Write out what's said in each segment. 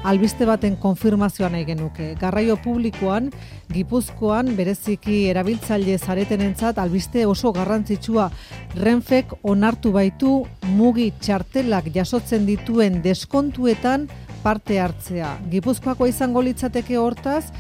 albiste baten konfirmazioa nahi genuke. Garraio publikoan, Gipuzkoan, bereziki erabiltzaile zaretenentzat albiste oso garrantzitsua. Renfek onartu baitu mugi txartelak jasotzen dituen deskontuetan parte hartzea. Gipuzkoako izango litzateke hortaz,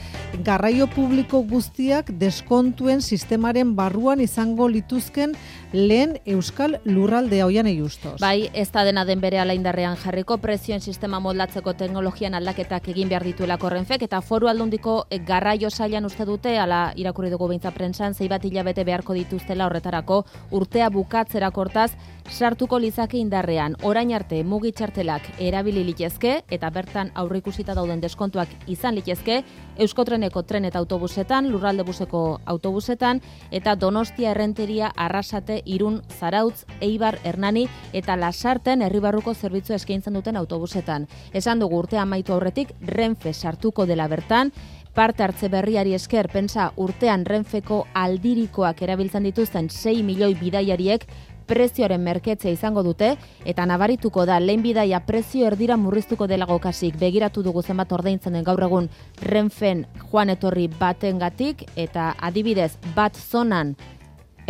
garraio publiko guztiak deskontuen sistemaren barruan izango lituzken lehen euskal lurraldea Oianei Justos. Bai, ez da dena den berehala indarrean jarriko, prezioen sistema moldatzeko teknologian aldaketak egin behar dituelako Renfek, eta Foru Aldundiko garraio sailan uste dute, ala irakurri dugu beintza prentsan, 6 bat hilabete beharko dituztela horretarako, urtea bukatzerako hortaz, sartuko lizake indarrean. Orain arte mugi txartelak erabili litezke eta bertan aurreikusita dauden deskontuak izan litezke Euskotreneko tren eta autobusetan, Lurralde buseko autobusetan eta Donostia Errenteria, Arrasate, Irun, Zarautz, Eibar, Hernani eta Lasarten herribarruko zerbitzua eskaintzen duten autobusetan. Esan dugu urtea amaitu aurretik Renfe sartuko dela bertan. Parte hartze berriari esker, pentsa urtean Renfeko aldirikoak erabiltzen dituzten 6 milioi bidaiariek prezioaren merketzea izango dute, eta nabarituko da lehen bidaia prezio erdira murriztuko delago kasik. Begiratu dugu zenbat ordaintzen den gaur egun Renfen joan etorri batengatik, eta adibidez bat zonan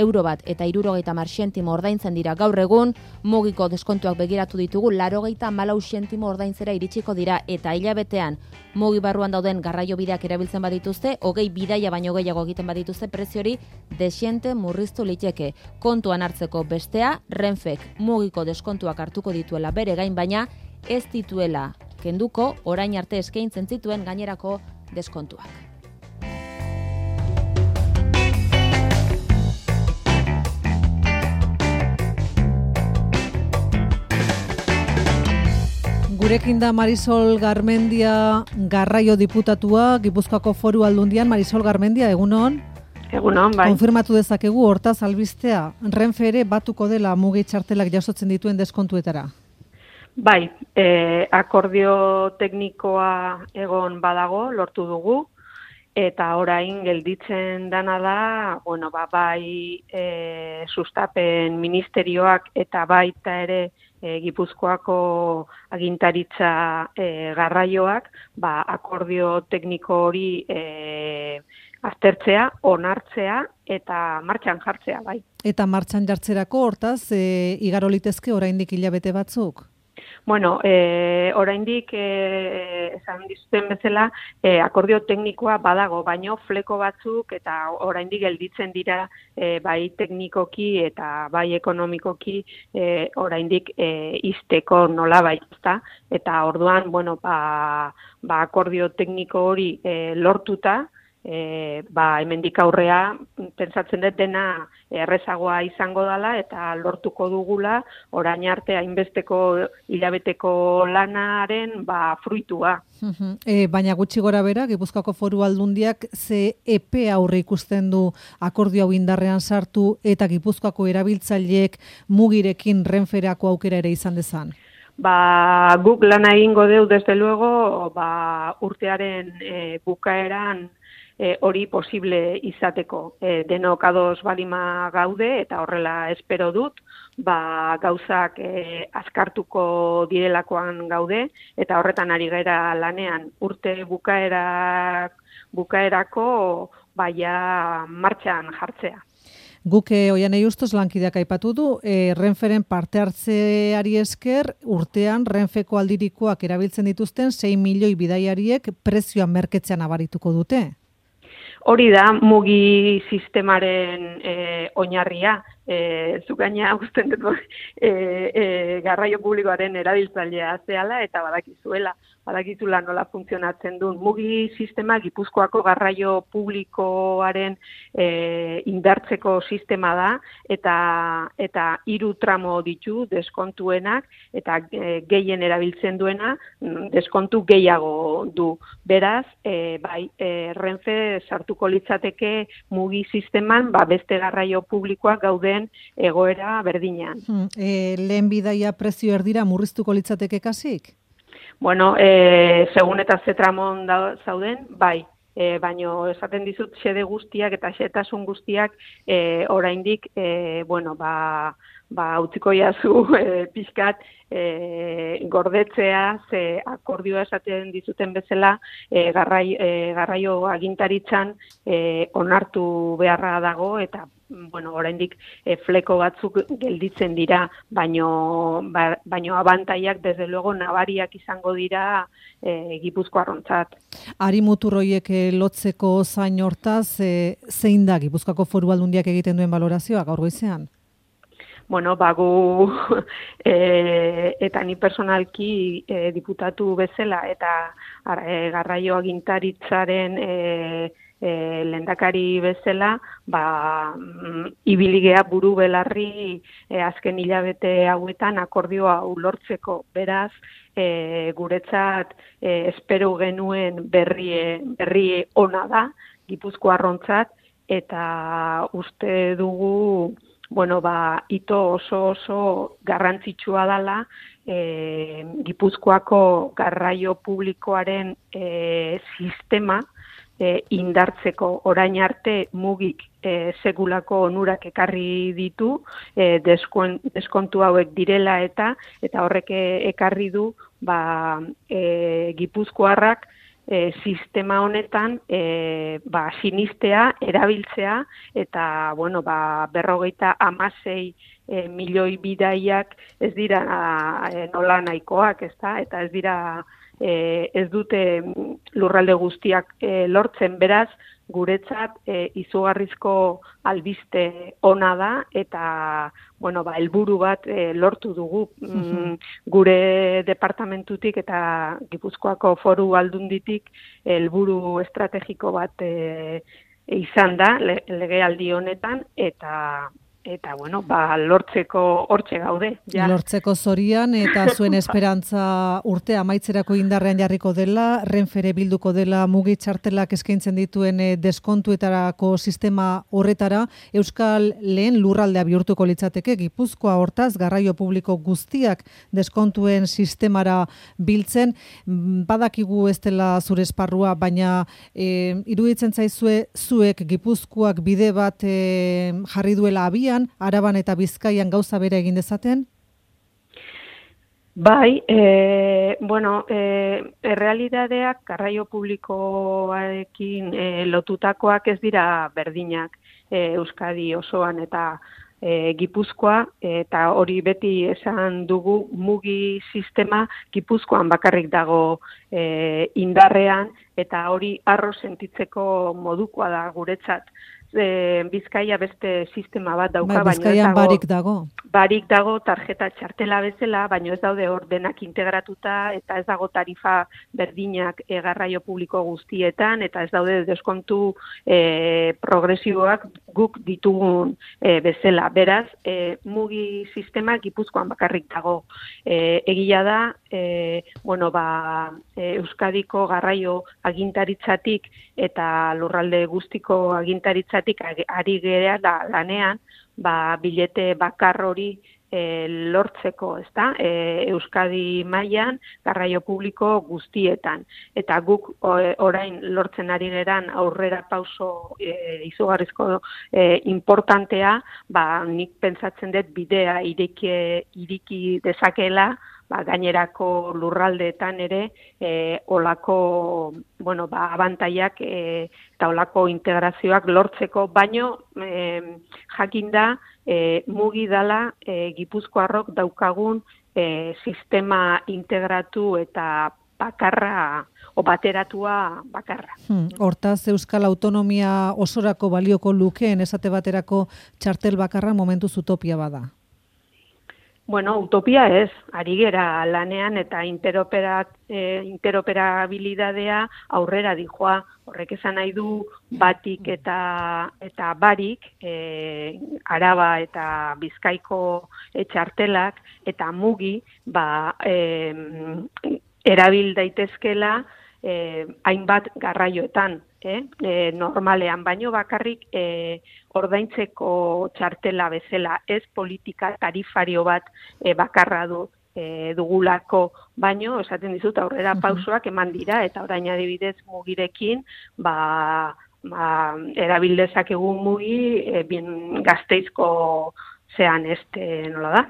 euro bat eta 70 zentimo ordaintzen dira gaur egun, mugiko deskontuak begiratu ditugu, 84 zentimo ordaintzera iritsiko dira, eta hilabetean mugi barruan dauden garraio bideak erabiltzen badituzte, 20 bidaia baino gehiago egiten badituzte, preziori desiente murriztu liteke. Kontuan hartzeko bestea, Renfek mugiko deskontuak hartuko dituela bere gain, baina ez dituela kenduko orain arte eskaintzen zituen gainerako deskontuak. Gurekin da Marisol Garmendia, garraio diputatua, Gipuzkoako Foru Aldundian. Marisol Garmendia, egunon? Egunon, bai. Konfirmatu dezakegu hortaz albistea, Renfe ere batuko dela mugi txartelak jasotzen dituen deskontuetara? Bai, akordio teknikoa egon badago, lortu dugu, eta orain gelditzen dana da, bai sustapen ministerioak eta baita ere Gipuzkoako agintaritza garraioak, akordio tekniko hori aztertzea, onartzea eta martxan jartzea, bai. Eta martxan jartzerako hortaz, igaro litezke oraindik hilabete batzuk? Oraindik esan dizuten bezala akordio teknikoa badago, baino fleko batzuk eta oraindik gelditzen dira bai teknikoki eta bai ekonomikoki oraindik izteko nolabait, ezta? Eta orduan, akordio tekniko hori lortuta, hemendik aurrea pentsatzen dut dena errezagoa izango dela eta lortuko dugula orain arte hainbesteko hilabeteko lanaren fruitua. Baina gutxi gora bera, Gipuzkoako Foru Aldundiak ze epe aurre ikusten du akordio hau indarrean sartu eta Gipuzkoako erabiltzaileek mugirekin Renferako aukera ere izan dezan? Guk lana egingo deu, desde luego, urtearen bukaeran hori posible izateko. Denok ados balima gaude eta horrela espero dut, gauzak azkartuko direlakoan gaude eta horretan ari gara lanean urte bukaerako martxan jartzea. Guk Oianei Justos lankideak aipatu du, Renferen parte hartzeari esker, urtean Renfeko aldirikoak erabiltzen dituzten 6 milioi bidaiariek prezioan merketzean abarituko dute. Hori da mugi sistemaren oinarria. Zuk gaina usten dut garraio publikoaren erabiltzailea zehala eta badakizula nola funtzionatzen duen. Mugi sistema Gipuzkoako garraio publikoaren indartzeko sistema da eta 3 tramo ditu deskontuenak eta gehien erabiltzen duena deskontu gehiago du. Beraz, Renfe sartuko litzateke mugi sisteman beste garraio publikoak gauden egoera berdinean. Lehen bidaia prezio erdira murriztuko litzateke kasik? Segun eta ze tramon zauden, bai. Baino esaten dizut xede guztiak eta xetasun guztiak oraindik utziko jazu pixkat gordetzea, ze akordioa esaten dizuten bezala garraio agintaritzan onartu beharra dago, eta oraindik fleko batzuk gelditzen dira, baino abantaiak desde luego nabariak izango dira Gipuzkoarrontzat. Ari muturroiek lotzeko zain hortaz, zein da Gipuzkoako Foru Aldundiak egiten duen balorazioa gaur goizean? Gu eta ni personalki diputatu bezala eta garraio agintaritzaren lehendakari bezala, ibiligea buru belarri azken hilabete hauetan akordioa ulortzeko. Beraz, guretzat espero genuen berri ona da Gipuzkoarrontzat, eta uste dugu hito oso garrantzitsua dela Gipuzkoako garraio publikoaren sistema indartzeko. Orain arte mugik segulako onurak ekarri ditu, deskontu hauek direla eta horrek ekarri du Gipuzkoarrak sistema honetan sinistea, erabiltzea, eta 56 milioi bidaiak ez dira nola nahikoak, eta ez dira ez dute lurralde guztiak lortzen. Beraz, guretzat izugarrizko albiste ona da, eta helburu bat lortu dugu gure departamentutik eta Gipuzkoako Foru Aldunditik helburu estrategiko bat izan da legealdi honetan, eta lortzeko hortxe gaude. Ja. Lortzeko zorian, eta zuen esperantza urte amaitzerako indarrean jarriko dela, Renfere bilduko dela mugi txartelak eskaintzen dituen deskontuetarako sistema horretara, Euskal lehen lurraldea bihurtuko litzateke. Gipuzkoa hortaz, garraio publiko guztiak deskontuen sistemara biltzen, badakigu ez dela zure esparrua, baina iruditzen zaizue zuek Gipuzkoak bide bat jarri duela abian, Araban eta Bizkaian gauza bera egin dezaten? Bai, errealitateak garraio publikoarekin lotutakoak ez dira berdinak Euskadi osoan eta Gipuzkoa, eta hori beti esan dugu, mugi sistema Gipuzkoan bakarrik dago indarrean, eta hori harro sentitzeko modukoa da guretzat. Bizkaia beste sistema bat dauka, Bizkaian barik dago. Barik dago tarjeta txartela bezala, baina ez daude ordenak integratuta, eta ez dago tarifa berdinak garraio publiko guztietan, eta ez daude deskontu progresiboak guk ditugun bezala. Beraz, mugi sistema Gipuzkoan bakarrik dago. Egia da, Euskadiko garraio agintaritzatik eta lurralde guztiko agintaritzatik ari gerea lanean, bilete bakar hori lortzeko, ezta? Euskadi mailan garraio publiko guztietan. Eta guk orain lortzen ari geran aurrera pauso izugarrizko importantea, nik pentsatzen dut bidea iriki dezakeela, gainerako lurraldeetan ere olako abantaiak eta olako integrazioak lortzeko, baino jakinda mugi dela Gipuzkoarrok daukagun sistema integratu eta bakarra o bateratua bakarra. Hortaz, Euskal Autonomia osorako balioko lukeen esate baterako txartel bakarra momentuz utopia bada. Utopia ez, ari gera lanean eta interoperabilidadea aurrera dijoa. Horrek esan nahi du batik eta barik, Araba eta Bizkaiko txartelak eta mugi erabil daitezkela hainbat garraioetan, normalean, baino bakarrik ordaintzeko txartela bezala, ez politika tarifario bat bakarra dugulako, baino esaten dizut aurrera pausoak eman dira, eta orain adibidez mugirekin erabil dezakegu mugi Gasteizko zean nola da,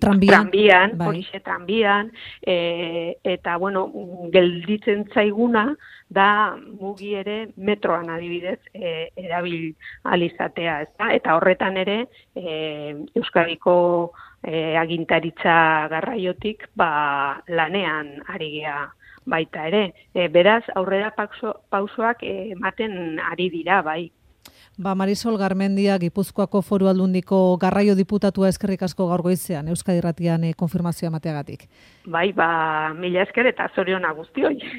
tranbian, horixe tranbian, eta, bueno, gelditzen zaiguna da mugi ere metroan adibidez erabil alizatea, ezta? Eta horretan ere Euskadiko agintaritza garraiotik lanean ari gea baita ere. Beraz, aurrera pausoak ematen ari dira, bai. Marisol Garmendia, Gipuzkoako Foru Aldundiko garraio diputatua, eskerrik asko gaur goizean, Euskadi Irratian konfirmazioa emateagatik. Bai, mila esker eta zoriona guztioi.